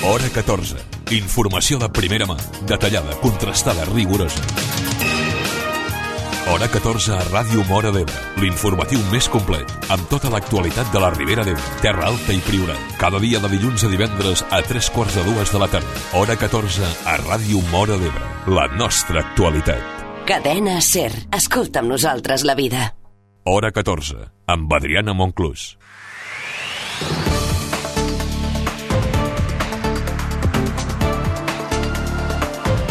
Hora 14. Informació de primera mà, detallada, contrastada, rigorosa. Hora 14 a Ràdio Móra d'Ebre, l'informatiu més complet, amb tota l'actualitat de la Ribera d'Ebre, Terra Alta i Priorat. Cada dia de dilluns a divendres a 3:45 de la tarda. Hora 14 a Ràdio Móra d'Ebre, la nostra actualitat. Cadena SER. Escolta amb nosaltres la vida. Hora 14, amb Adriana Monclús.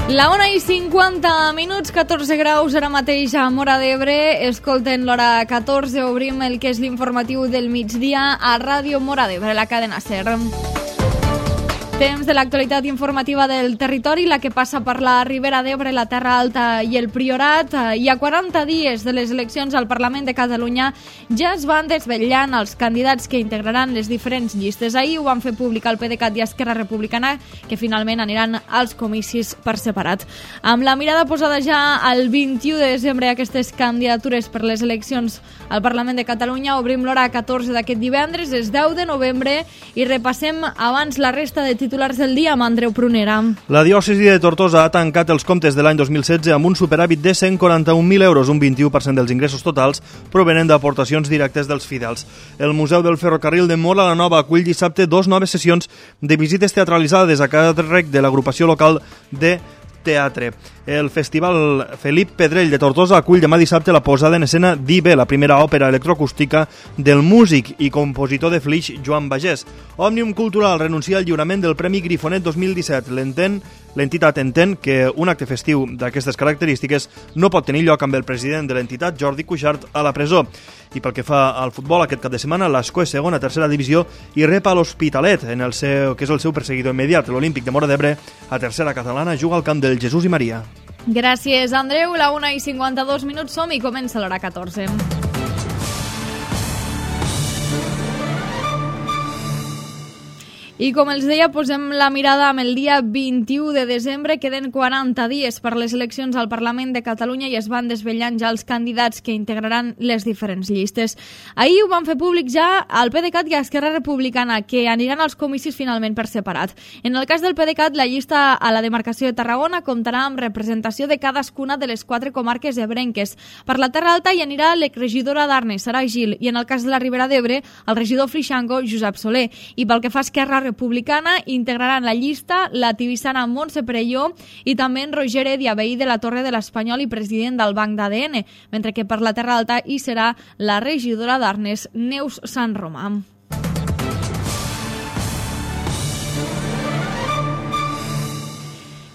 La 1:50, 14 graus ara mateix a Móra d'Ebre. Escolten l'hora 14, obrim el que és l'informatiu del migdia a Ràdio Móra d'Ebre, la cadena SER. Temps de l'actualitat informativa del territori, la que passa per la Ribera d'Ebre, la Terra Alta i el Priorat. I a 40 dies de les eleccions al Parlament de Catalunya ja es van desvetllant els candidats que integraran les diferents llistes. Ahir ho van fer públic el PDeCAT i Esquerra Republicana, que finalment aniran als comicis per separat. Amb la mirada posada ja al 21 de desembre a aquestes candidatures per les eleccions al Parlament de Catalunya, obrim l'hora 14 d'aquest divendres, és 10 de novembre, i repassem abans la resta de titulars del dia amb Andreu Prunera. La diòcesi de Tortosa ha tancat els comptes de l'any 2016 amb un superàvit de 141.000 euros, un 21% dels ingressos totals provenen d'aportacions directes dels fidels. El Museu del Ferrocarril de Móra la Nova acull dissabte 2 noves sessions de visites teatralitzades a càrrec de l'agrupació local de teatre. El Festival Felip Pedrell de Tortosa acull demà dissabte la posada en escena d'Ibe, la primera òpera electroacústica del músic i compositor de Flix Joan Bagés. Òmnium Cultural renuncia al lliurament del Premi Grifonet 2017. L'entitat entén que un acte festiu d'aquestes característiques no pot tenir lloc amb el president de l'entitat, Jordi Cuixart, a la presó. I pel que fa al futbol, aquest cap de setmana l'Ascó és segona, tercera divisió i rep a l'Hospitalet, que és el seu perseguidor immediat. L'Olímpic de Móra d'Ebre, a tercera catalana, juga al camp del Jesús i Maria. Gràcies, Andreu. La 1:52 som i comença l'hora 14. I com els deia, posem la mirada amb el dia 21 de desembre. Queden 40 dies per les eleccions al Parlament de Catalunya i es van desvetllant ja els candidats que integraran les diferents llistes. Ahir ho van fer públic ja al PDeCAT i a Esquerra Republicana, que aniran als comicis finalment per separat. En el cas del PDeCAT, la llista a la demarcació de Tarragona comptarà amb representació de cadascuna de les 4 comarques ebrenques. Per la Terra Alta hi anirà l'exregidora d'Arnes, Sara Gil, i en el cas de la Ribera d'Ebre, el regidor flixango, Josep Soler. I pel que fa a Esquerra Republicana, integraran la llista la tibissana Montse Perelló i també en Roger Edia, veí de la Torre de l'Espanyol i president del Banc d'ADN, mentre que per la Terra Alta hi serà la regidora d'Arnes, Neus Sant Romà.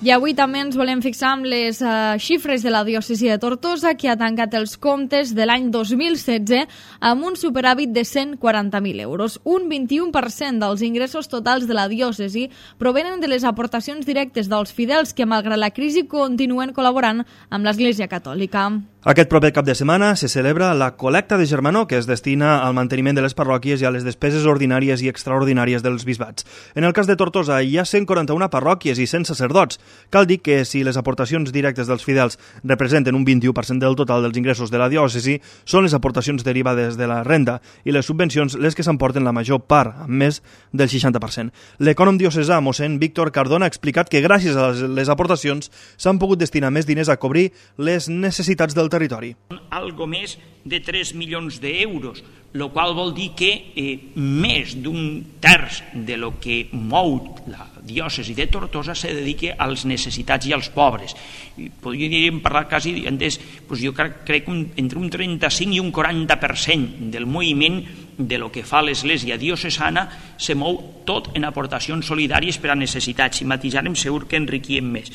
I avui també ens volem fixar amb les xifres de la diòcesi de Tortosa, que ha tancat els comptes de l'any 2016 amb un superàvit de 140.000 euros. Un 21% dels ingressos totals de la diòcesi provenen de les aportacions directes dels fidels que, malgrat la crisi, continuen col·laborant amb l'Església Catòlica. Aquest proper cap de setmana se celebra la col·lecta de germanor, que es destina al manteniment de les parròquies i a les despeses ordinàries i extraordinàries dels bisbats. En el cas de Tortosa hi ha 141 parròquies i 100 sacerdots. Cal dir que si les aportacions directes dels fidels representen un 21% del total dels ingressos de la diòcesi, són les aportacions derivades de la renda i les subvencions les que s'emporten la major part, amb més del 60%. L'ecònom diocesà, mossèn Víctor Cardona, ha explicat que gràcies a les aportacions s'han pogut destinar més diners a cobrir les necessitats del territori. Algo més de 3 milions d'euros, el qual vol dir que més d'un terç de lo que mou la diòcesi de Tortosa se dedica als necessitats i als pobres. Podríem parlar quasi, jo crec que entre un 35 i un 40% del moviment de lo que fa l'Església diocesana se mou tot en aportacions solidàries per a necessitats. Si matisarem segur que enriquiem més.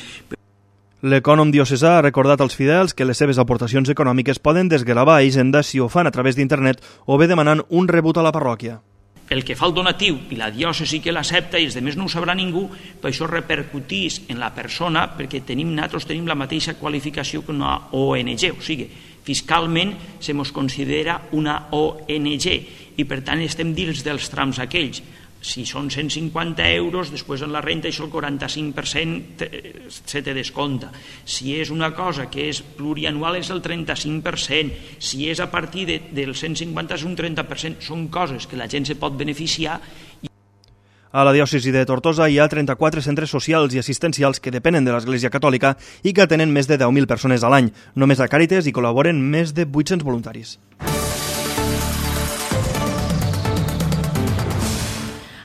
L'ecònom diocesà ha recordat als fidels que les seves aportacions econòmiques poden desgravar a Hisenda si ho fan a través d'internet o bé demanant un rebut a la parròquia. El que fa el donatiu i la diòcesi que l'accepta i els altres no ho sabrà ningú, per això repercutís en la persona, perquè nosaltres tenim la mateixa qualificació que una ONG, o sigui, fiscalment se mos considera una ONG i per tant estem dins dels trams aquells. Si són 150 euros, després en la renta això el 45% se te descompta. Si és una cosa que és plurianual és el 35%. Si és a partir del 150 és un 30%. Són coses que la gent se pot beneficiar. A la diòcesi de Tortosa hi ha 34 centres socials i assistencials que depenen de l'Església Catòlica i que atenen més de 10.000 persones a l'any. Només a Càritas hi col·laboren més de 800 voluntaris.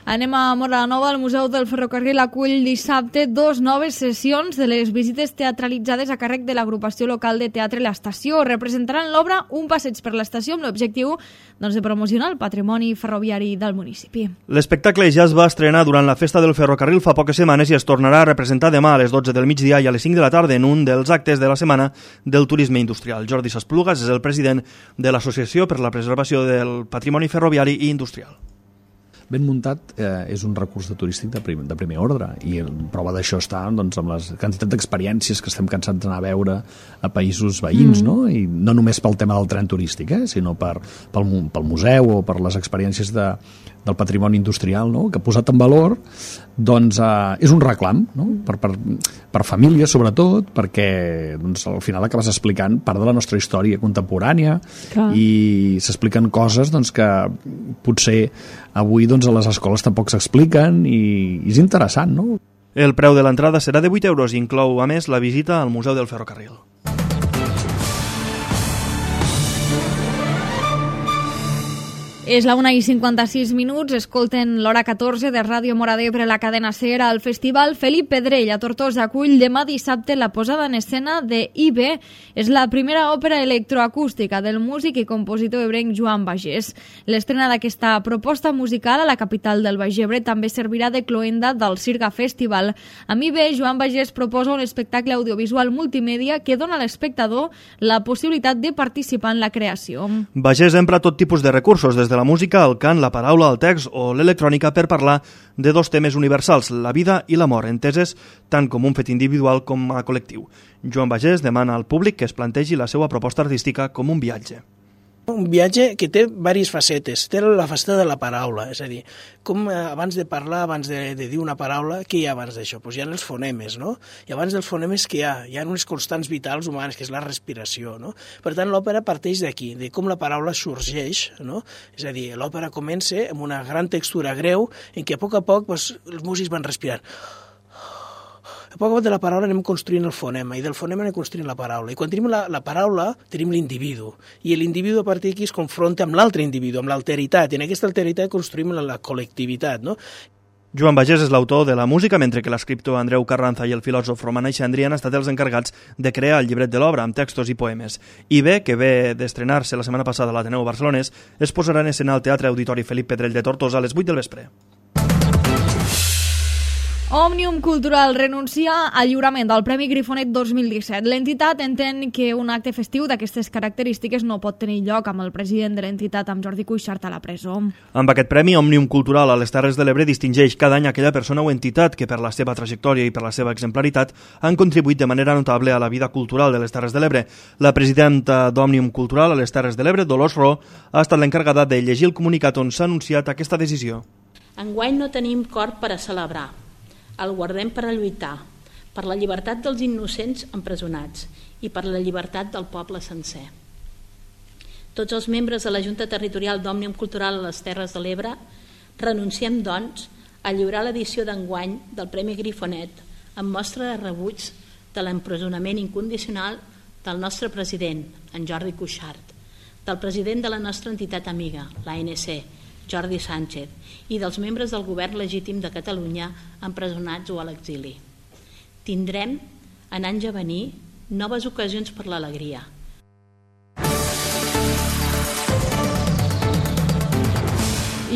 Anem a Móra la Nova. El Museu del Ferrocarril acull dissabte 2 noves sessions de les visites teatralitzades a càrrec de l'agrupació local de teatre L'Estació. Representaran l'obra Un passeig per l'estació amb l'objectiu de promocionar el patrimoni ferroviari del municipi. L'espectacle ja es va estrenar durant la Festa del Ferrocarril fa poques setmanes i es tornarà a representar demà a les 12 del migdia i a les 5 de la tarda en un dels actes de la Setmana del Turisme Industrial. Jordi Sasplugas és el president de l'Associació per la Preservació del Patrimoni Ferroviari i Industrial. Ben muntat és un recurs turístic de primer ordre i prova d'això està doncs, amb la quantitat d'experiències que estem cansats d'anar a veure a països veïns, no? I no només pel tema del tren turístic, sinó pel museu o per les experiències del patrimoni industrial, no? Que posat en valor doncs, és un reclam, no? per famílies sobretot, perquè doncs, al final acabes explicant part de la nostra història contemporània. Clar. I s'expliquen coses doncs, que potser avui doncs, a les escoles tampoc s'expliquen i és interessant, no? El preu de l'entrada serà de 8 euros i inclou, a més, la visita al Museu del Ferrocarril. És la 1:56, escolten l'hora 14 de Ràdio Móra d'Ebre, la cadena SER. El Festival Felip Pedrell a Tortosa acull demà dissabte la posada en escena de IB. És la primera òpera electroacústica del músic i compositor ebrenc Joan Bagés. L'estrena d'aquesta proposta musical a la capital del Baix Ebre també servirà de cloenda del Sirga Festival. Amb IB, Joan Bagés proposa un espectacle audiovisual multimèdia que dona a l'espectador la possibilitat de participar en la creació. Bagés empra tot tipus de recursos, des de la música, el cant, la paraula, el text o l'electrònica per parlar de dos temes universals, la vida i l'amor, enteses tant com un fet individual com a col·lectiu. Joan Bagés demana al públic que es plantegi la seva proposta artística com un viatge. Un viatge que té diverses facetes. Té la faceta de la paraula, és a dir, com abans de parlar, abans de dir una paraula, què hi ha abans d'això? Doncs hi ha els fonemes, no? I abans dels fonemes què hi ha? Hi ha unes constants vitals humanes, que és la respiració, no? Per tant, l'òpera parteix d'aquí, de com la paraula sorgeix, no? És a dir, l'òpera comença amb una gran textura greu, en què a poc doncs, els músics van respirant. A poc de la paraula anem construint el fonema i del fonema anem construint la paraula. I quan tenim la paraula tenim l'individu i l'individu a partir d'aquí es confronta amb l'altre individu, amb l'alteritat, i en aquesta alteritat construïm la col·lectivitat, no? Joan Bagés és l'autor de la música, mentre que l'escriptor Andreu Carranza i el filòsof Roman Aixandri han estat els encarregats de crear el llibret de l'obra amb textos i poemes. IB, que ve d'estrenar-se la setmana passada a l'Ateneu Barcelonès, es posarà en escena al Teatre Auditori Felip Pedrell de Tortosa a les 8 del vespre. Òmnium Cultural renuncia al lliurament del Premi Grifonet 2017. L'entitat entén que un acte festiu d'aquestes característiques no pot tenir lloc amb el president de l'entitat, amb Jordi Cuixart, a la presó. Amb aquest premi, Òmnium Cultural a les Terres de l'Ebre distingeix cada any aquella persona o entitat que per la seva trajectòria i per la seva exemplaritat han contribuït de manera notable a la vida cultural de les Terres de l'Ebre. La presidenta d'Òmnium Cultural a les Terres de l'Ebre, Dolors Ro, ha estat l'encarregada de llegir el comunicat on s'ha anunciat aquesta decisió. Enguany no tenim cor per a celebrar. El guardem per a lluitar, per la llibertat dels innocents empresonats i per la llibertat del poble sencer. Tots els membres de la Junta Territorial d'Òmnium Cultural a les Terres de l'Ebre renunciem, doncs, a lliurar l'edició d'enguany del Premi Grifonet amb mostra de rebuig de l'empresonament incondicional del nostre president, en Jordi Cuixart, del president de la nostra entitat amiga, l'ANC, Jordi Sánchez, i dels membres del govern legítim de Catalunya empresonats o a l'exili. Tindrem, en anys a venir, noves ocasions per l'alegria.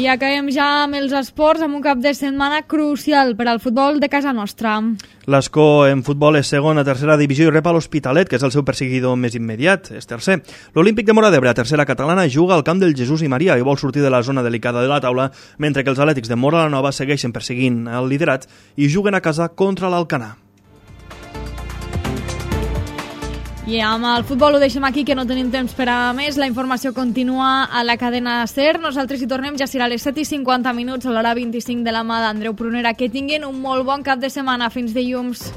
I acabem ja amb els esports, amb un cap de setmana crucial per al futbol de casa nostra. L'Escó en futbol és segon a tercera divisió i rep a l'Hospitalet, que és el seu perseguidor més immediat, és tercer. L'Olímpic de Móra d'Ebre, a tercera catalana, juga al camp del Jesús i Maria i vol sortir de la zona delicada de la taula, mentre que els Atlètics de Móra la Nova segueixen perseguint el liderat i juguen a casa contra l'Alcanar. I amb el futbol ho deixem aquí, que no tenim temps per a més. La informació continua a la cadena SER. Nosaltres hi tornem, ja serà a les 7:50 a l'hora 25 de la mà d'Andreu Prunera. Que tinguin un molt bon cap de setmana. Fins dilluns.